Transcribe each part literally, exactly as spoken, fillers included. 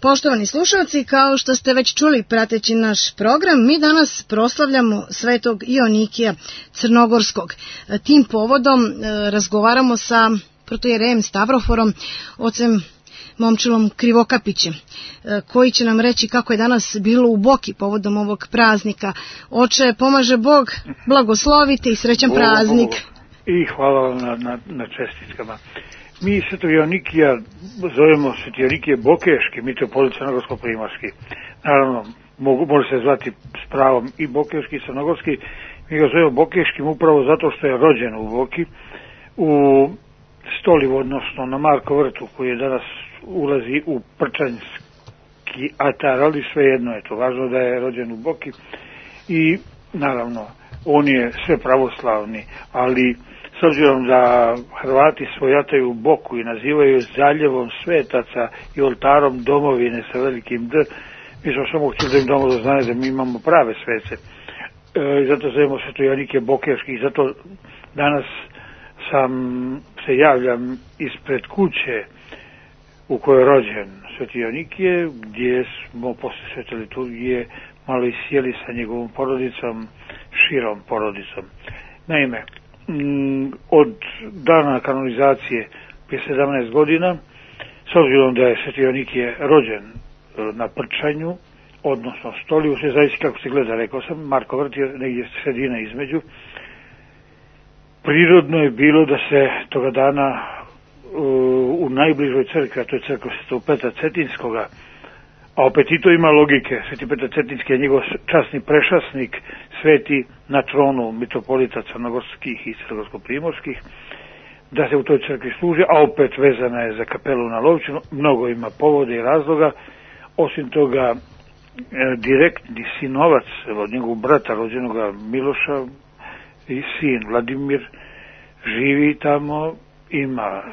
Poštovani slušalci, kao što ste već čuli prateći naš program, mi danas proslavljamo Svetog Ionikija Crnogorskog. Tim povodom razgovaramo sa protojerejem Stavroforom, ocem Momčilom Krivokapićem, koji će nam reći kako je danas bilo u Boki povodom ovog praznika. Oče, pomaže Bog, blagoslovite i srećan Bog, praznik. Bog. I hvala vam na, na, na čestitkama. Mi Svetog Ionikija zovemo Sveti Ionikije Bokeški, mitropolit crnogorsko-primorski. Naravno, mogu, može se zvati s pravom i Bokeški i crnogorski. Mi ga zovemo Bokeškim upravo zato što je rođen u Boki, u Stolivu, odnosno na Marko vrtu, koji je danas ulazi u Prčanjski atar, ali svejedno je to važno da je rođen u Boki. I naravno, on je sve pravoslavni, ali s obzirom da Hrvati svojataju Boku i nazivaju zaljevom svetaca i oltarom domovine sa velikim D, mi smo samo htjeli da im damo do znanja da mi imamo prave svece. E, zato zovemo Sveto Ionikije Bokeški i zato danas sam se javljam ispred kuće u kojoj je rođen Sveti Ionikije, gdje smo posle svete liturgije malo isjeli sa njegovom porodicom, širom porodicom. Naime, od dana kanonizacije prije sedamnaest godina, s obzirom da je Sveti Ionikije rođen na Prčanju, odnosno Stolivu, sve zavisi kako se gleda, rekao sam, Marko vrt je negdje sredina između, prirodno je bilo da se toga dana u najbližoj crkvi, a to je crkva Svetog Petra Cetinskoga, a opet i to ima logike, Sveti Petar Cetinski je njegov časni prešasnik, sveti na tronu mitropolita crnogorskih i crnogorsko-primorskih, da se u toj crkvi služi, a opet vezana je za kapelu na Lovćinu, mnogo ima povode i razloga. Osim toga, direktni sinovac od njegovog brata rođenoga Miloša i sin Vladimir živi tamo, ima e,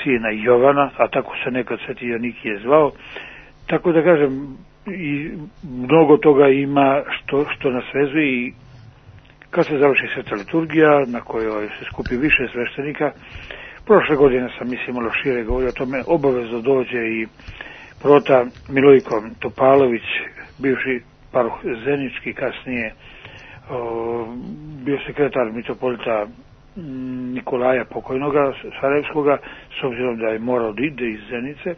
sina Jovana, a tako se nekad Sveti Ionikije zvao. Tako da kažem, i mnogo toga ima što, što nas vezuje i kad se završi sveta liturgija, na kojoj se skupi više sveštenika, prošle godine sam, mislim, malo šire govorio o tome, obavezno dođe i prota Milojko Topalović, bivši paroh Zenički, kasnije o, bio sekretar mitropolita Nikolaja pokojnoga Sarajevskoga, s obzirom da je morao da ide iz Zenice,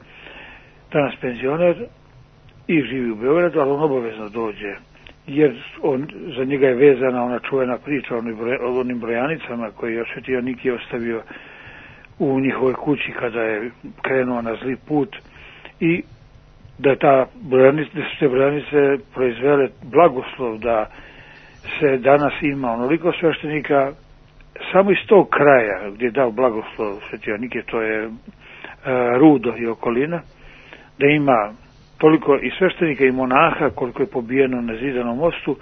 danas penzioner i živi u Beogradu, ali on obavezno dođe, jer on, za njega je vezana ona čuvena priča o onim brojanicama koje je Sveti Ionikije ostavio u njihovoj kući kada je krenuo na zli put i da, ta brojanice, da su te brojanice proizvele blagoslov da se danas ima onoliko sveštenika samo iz tog kraja gdje je dao blagoslov Sveti Ionikije, to je e, Rudo i okolina, da ima toliko i sveštenika i monaha koliko je pobijeno na Zidanom mostu,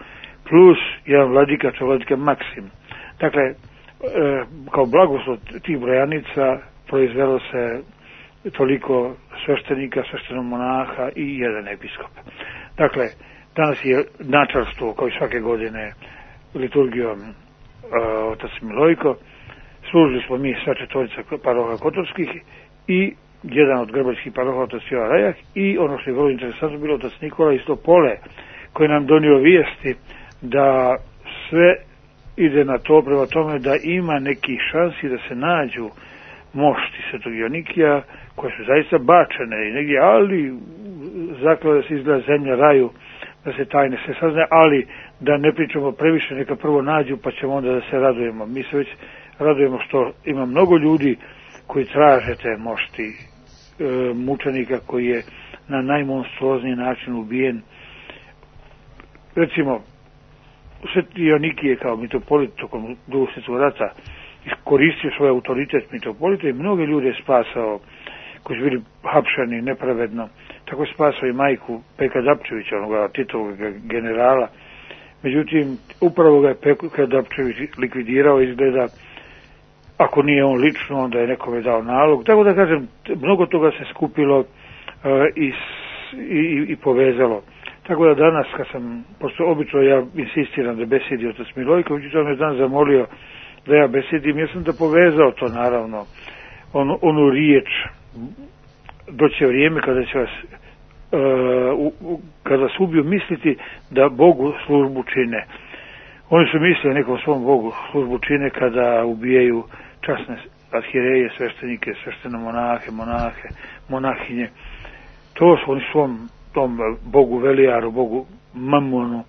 plus jedan vladika, to je vladika Maksim. Dakle, e, kao blagoslov tih brojanica proizvelo se toliko sveštenika, sveštenog monaha i jedan episkop. Dakle, danas je načelstvo, kao i svake godine, liturgijom e, otac Milojko, služili smo mi sva četvorica paroha Kotorskih i jedan od grbačkih paroha otac Jovan Rajak i ono što je vrlo interesantno bilo otac Nikola iz Topole, koji nam donio vijesti da sve ide na to prema tome da ima nekih šansi da se nađu mošti Svetog Ionikija koje su zaista bačene i negdje, ali zaklada se izgleda zemlja raju, da se tajne se sazna, ali da ne pričamo previše, neka prvo nađu pa ćemo onda da se radujemo. Mi se već radujemo što ima mnogo ljudi koji traže te mošti e, mučenika koji je na najmonstruozniji način ubijen. Recimo, Sveti Ionikije kao mitropolit tokom Drugog svjetskog rata iskoristio svoj autoritet mitropolita i mnoge ljude je spasao koji su bili hapšani nepravedno. Tako je spasao i majku Peka Dapčevića, onoga Titovog generala. Međutim, upravo ga je Peka Dapčević likvidirao, izgleda, ako nije on lično, onda je nekome dao nalog. Tako da kažem, mnogo toga se skupilo uh, i, i, i povezalo. Tako da danas, kad sam, pošto obično ja insistiram da besedi otac Milojković, on me dan zamolio da ja besedim, ja sam da povezao to naravno, on, onu riječ, doće vrijeme kada će vas u, u, kada se ubiju misliti da Bogu službu čine. Oni su mislili nekom svom Bogu službu čine kada ubijaju časne arhijereje, sveštenike, sveštene monahe, monahe, monahinje. To su oni svom tom Bogu Velijaru, Bogu Mamonu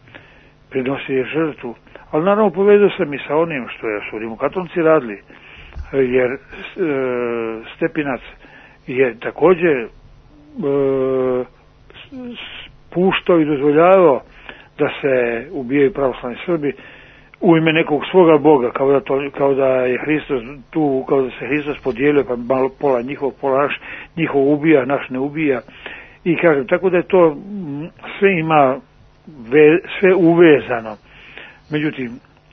prinosili žrtvu. Ali naravno povezao sam i sa onim što je su rimokatolici radili, jer e, Stepinac je također e, puštao i dozvoljavao da se ubijaju pravoslavni Srbi u ime nekog svoga Boga, kao da, to, kao da je Hristos tu, kao da se Hristos podijelio, pa malo pola njihov, pola naš, njihov ubija, naš ne ubija. I kažem, tako da je to sve ima ve, sve uvezano. Međutim,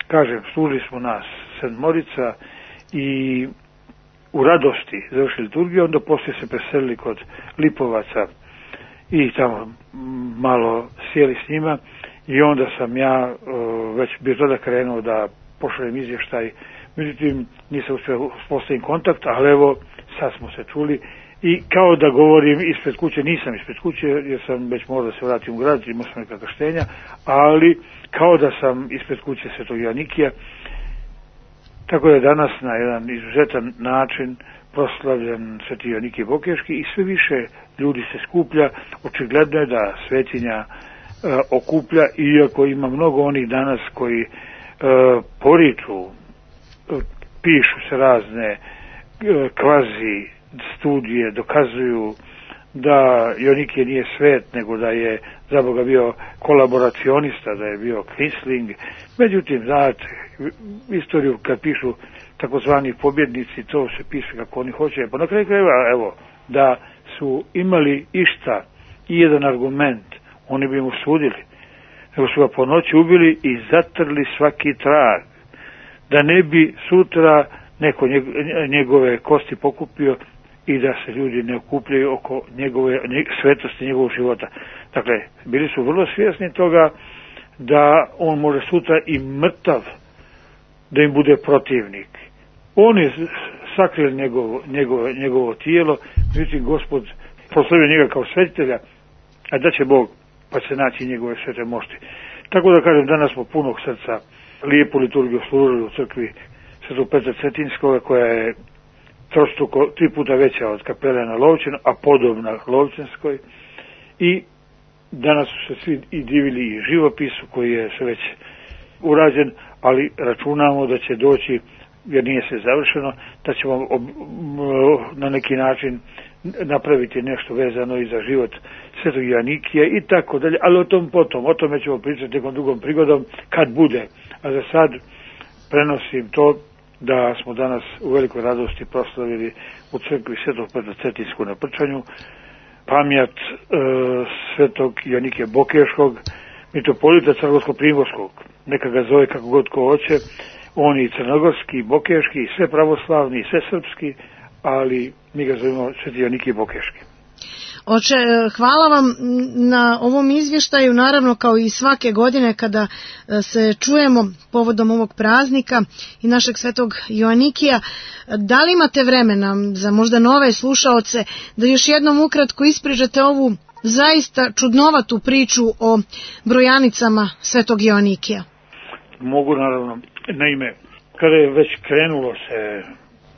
kažem, služili smo nas sedmorica i u radosti završili liturgiju, onda poslije se preselili kod Lipovaca i tamo malo sjeli s njima i onda sam ja uh, već bio tada krenuo da pošaljem izvještaj, međutim nisam uspio postaviti kontakt, ali evo sad smo se čuli i kao da govorim ispred kuće, nisam ispred kuće jer sam već morao da se vratim u grad, imao sam neka krštenja, ali kao da sam ispred kuće Svetog Joanikija, tako da je danas na jedan izuzetan način proslavljen Sveti Joanikije Bokeški i sve više ljudi se skuplja. Očigledno je da svetinja e, okuplja, iako ima mnogo onih danas koji e, poriču, e, pišu se razne e, kvazi studije, dokazuju da Joanikije nije svet, nego da je za Boga bio kolaboracionista, da je bio Quisling. Međutim, znate, istoriju kad pišu takozvani pobjednici, to se piše kako oni hoće. Pa na kraju krajeva, evo, da su imali išta i jedan argument, oni bi mu sudili. Nego su ga po noći ubili i zatrli svaki trag. Da ne bi sutra neko njegove kosti pokupio i da se ljudi ne okupljaju oko njegove svetosti njegovog života. Dakle, bili su vrlo svjesni toga da on može sutra i mrtav da im bude protivnik. On je sakrio njegovo, njegovo, njegovo tijelo, međutim Gospod proslavio njega kao svetitelja, a da će Bog pa će naći njegove svete mošti. Tako da kažem, danas smo punog srca lijepu liturgiju služili u crkvi Svetog Petra Cetinskoga, koja je trostruko, tri puta veća od kapele na Lovćenu, a podobna Lovćenskoj. I danas su se svi i divili i živopisu koji je sve već urađen, ali računamo da će doći, jer nije sve završeno, da ćemo ob, na neki način napraviti nešto vezano i za život Svetog Joanikija i tako dalje, ali o tom potom, o tome ćemo pričati nekom drugom prigodom kad bude. A za sad prenosim to da smo danas u velikoj radosti proslavili u crkvi Svetog Petra Cetinskog na Prčanju pamjat e, Svetog Joanikija Bokeškog, mitropolita Crnogorsko-Primorskog. Neka ga zove kako god ko hoće, on i crnogorski, i bokeški, i sve pravoslavni, i sve srpski, ali mi ga zovemo Sveti Joanikije Bokeški. Oče, hvala vam na ovom izvještaju, naravno kao i svake godine kada se čujemo povodom ovog praznika i našeg Svetog Joanikija. Da li imate vremena za možda nove slušaoce da još jednom ukratko ispričate ovu zaista čudnovatu priču o brojanicama Svetog Joanikija? Mogu, naravno. Naime, kada je već krenulo se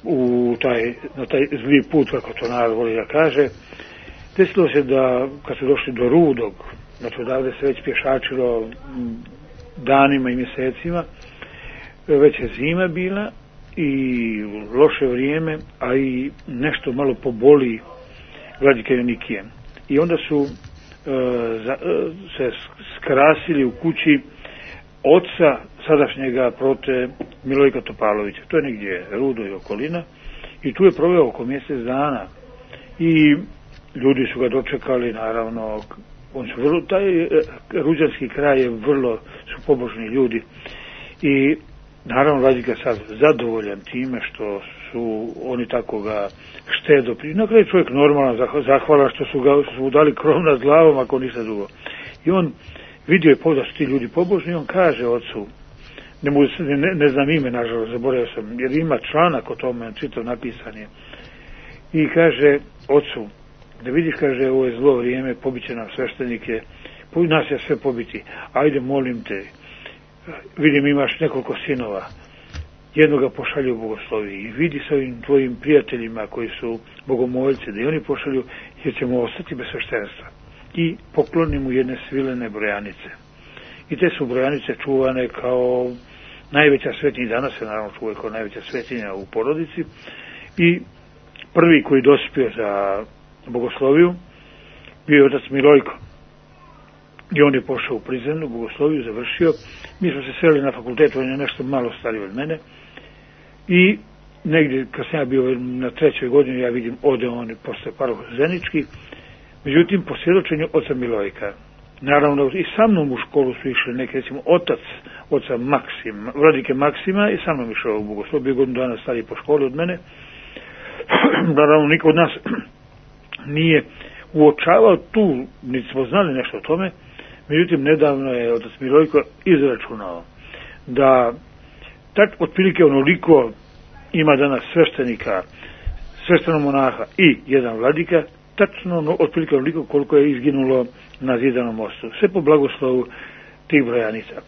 u taj, na taj zli put, kako to narod voli da kaže, desilo se da, kad su došli do Rudog, znači odavde se već pješačilo danima i mjesecima, već je zima bila i loše vrijeme, a i nešto malo poboli Vladika Joanikije. I onda su e, za, e, se skrasili u kući oca sadašnjega prote Milojka Topalovića. To je negdje Rudo i okolina i tu je proveo oko mjesec dana i ljudi su ga dočekali, naravno, on su vrlo, taj e, ruđanski kraj je vrlo, su pobožni ljudi i naravno Vladika sad zadovoljan time što su oni tako ga štedo pri... Na kraju čovjek normalno zahvala što su ga što su dali krov nad glavom, ako ništa drugo. I on vidio je da su ti ljudi pobožni i on kaže ocu, ne, mogu, ne, ne znam ime, nažalost, zaboravio sam, jer ima članak o tome, čitav napisan je. I kaže ocu, da vidiš, kaže, ovo je zlo vrijeme, pobiće nam sveštenike, nas je sve pobiti, ajde, molim te, vidim imaš nekoliko sinova, jednoga pošalju u bogoslovi i vidi sa ovim tvojim prijateljima koji su bogomoljci, da i oni pošalju, jer ćemo ostati bez sveštenstva. I pokloni mu jedne svilene brojanice. I te su brojanice čuvane kao najveća svetinja, danas se naravno čuvaju kao najveća svetinja u porodici. I prvi koji dospio za bogosloviju bio je otac Milojko. I on je pošao u prizemnu bogosloviju, završio. Mi smo se sreli na fakultetu, on je nešto malo stariji od mene. I negdje, kad sam ja bio na trećoj godini, ja vidim, ode on posle paroh Zenički. Međutim, po svjedočenju oca Milojka, naravno i sa mnom u školu su išli neki, recimo, otac oca Maksima, vladike Maksima i sa mnom išao u bogosloviju, bio godinu dana stariji po školi od mene. Naravno, niko od nas nije uočavao tu, niti smo znali nešto o tome. Međutim, nedavno je otac Milojko izračunao da tak otprilike onoliko ima danas sveštenika, sveštenog monaha i jedan vladika, tačno ono, otprilike onoliko koliko je izginulo na Zidanom mostu. Sve po blagoslovu tih brojanica.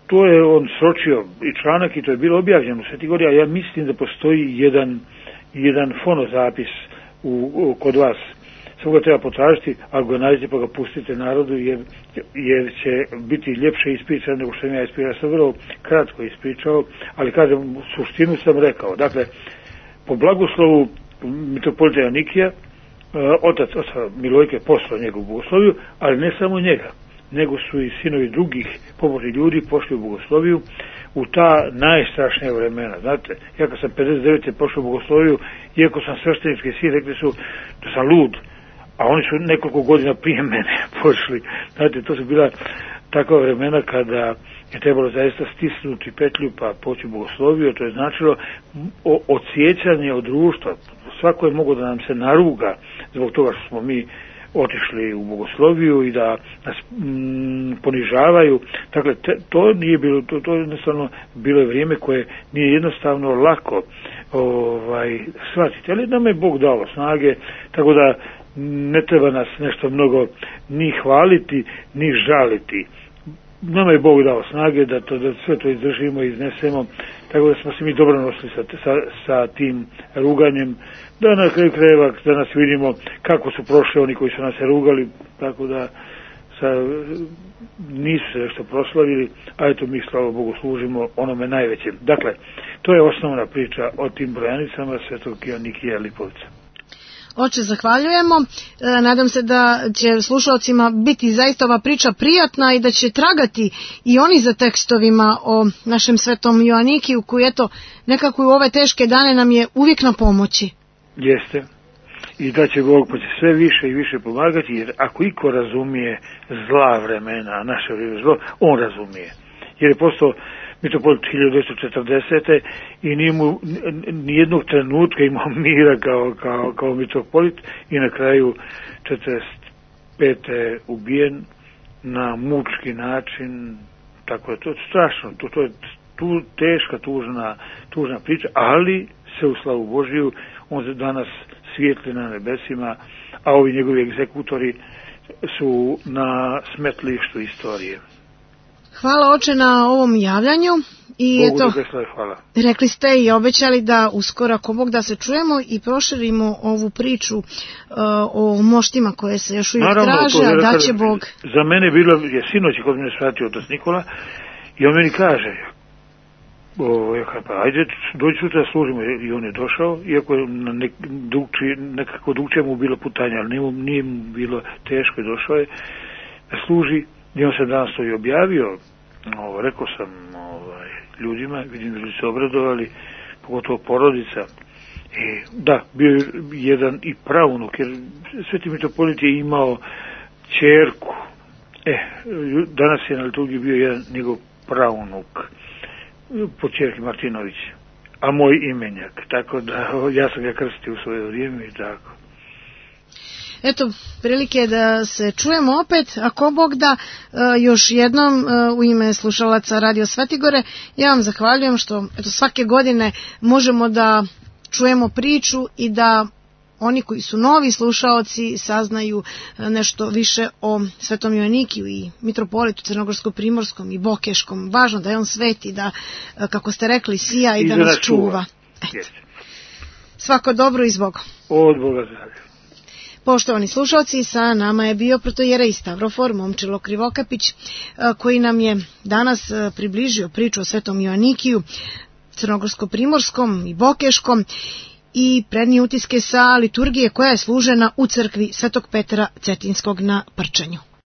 To je on sročio i članak i to je bilo objavljeno u Sveti Gori, a ja mislim da postoji jedan, jedan fonozapis u, u, kod vas. Samo ga treba potražiti, ako ga nađete pa ga pustite narodu, jer, jer će biti ljepše ispričano nego što sam ja ispričao. Ja sam vrlo kratko ispričao, ali kažem, suštinu sam rekao. Dakle, po blagoslovu mitropolita Joanikija, otac oca Milojke poslao njegovu bogosloviju, ali ne samo njega, nego su i sinovi drugih pobožnih ljudi pošli u bogosloviju u ta najstrašnija vremena. Znate, ja kad sam pedeset devete pošao u bogosloviju, iako sam sveštenički sin, rekli su da sam lud, a oni su nekoliko godina prije mene pošli. Znate, to su bila takva vremena kada je trebalo zaista stisnuti petlju pa poći u bogosloviju, to je značilo odsjećanje od društva. Svako je mogao da nam se naruga zbog toga što smo mi otišli u bogosloviju i da nas mm, ponižavaju. Dakle, te, to nije bilo, to, to je jednostavno bilo vrijeme koje nije jednostavno lako ovaj, shvatiti. Ali nam je Bog dao snage, tako da ne treba nas nešto mnogo ni hvaliti, ni žaliti. Nama je Bog dao snage da, to, da sve to izdržimo i iznesemo, tako da smo se mi dobro nosili sa, sa, sa tim ruganjem, da na kraju krajeva danas vidimo kako su prošli oni koji su nas rugali, tako da sa, nisu se nešto proslavili, a eto mi, slava Bogu, služimo onome najvećem. Dakle, to je osnovna priča o tim brojanicama Svetog Joanikija Lipovca. Oče, zahvaljujemo. E, nadam se da će slušalcima biti zaista ova priča prijatna i da će tragati i oni za tekstovima o našem svetom Joanikiju, koji eto nekako u ove teške dane nam je uvijek na pomoći. Jeste. I da će Bog pa će sve više i više pomagati, jer ako iko razumije zla vremena, a naše vrijeme zlo, on razumije. Jer je postao mitropolit hiljadu devetsto četrdesete i nije mu nijednog trenutka imao mira kao, kao, kao mitropolit i na kraju četrdeset pete ubijen na mučki način. Tako je to strašno, to, to je tu teška, tužna, tužna priča, ali se u slavu Božiju on danas svijetli na nebesima, a ovi njegovi egzekutori su na smetlištu istorije. Hvala, oče, na ovom javljanju. I Bogu eto, da hvala. Rekli ste i obećali da uskoro, ako Bog da, se čujemo i proširimo ovu priču uh, o moštima koje se još uvijek Naravno, traže, a da će Bog. Za mene bilo, je sinoć kod mene shvatio otac Nikola i on meni kaže, o, ja kaj, pa ajde, dođi sutra služimo, i on je došao, iako je na nek, drugči, nekako drugčije mu bilo putanje, ali nije, nije mu bilo teško, i došao je da služi. I on se danas to i objavio, ovo, rekao sam ovaj, ljudima, vidim da su se obradovali, pogotovo porodica. I, da, bio je jedan i pravnuk, jer Sveti mitropolit je imao ćerku. E, danas je na liturgiji bio jedan njegov pravnuk, po ćerki Martinović, a moj imenjak, tako da ja sam ga krstio u svoje vrijeme i tako. Eto, prilike je da se čujemo opet, ako Bog da, još jednom u ime slušalaca Radio Svetigore, ja vam zahvaljujem što eto, svake godine možemo da čujemo priču i da oni koji su novi slušaoci saznaju nešto više o Svetom Joanikiju i mitropolitu Crnogorsko-Primorskom i Bokeškom. Važno da je on sveti, da, kako ste rekli, sija i, I da nas čuva. Eto. Svako dobro i zbog. Od Boga zdravlja. Poštovani slušalci, sa nama je bio protojerej Stavrofor Momčilo Krivokapić, koji nam je danas približio priču o Svetom Joanikiju, Crnogorsko-Primorskom i Bokeškom i prednije utiske sa liturgije koja je služena u crkvi Svetog Petra Cetinskog na Prčanju.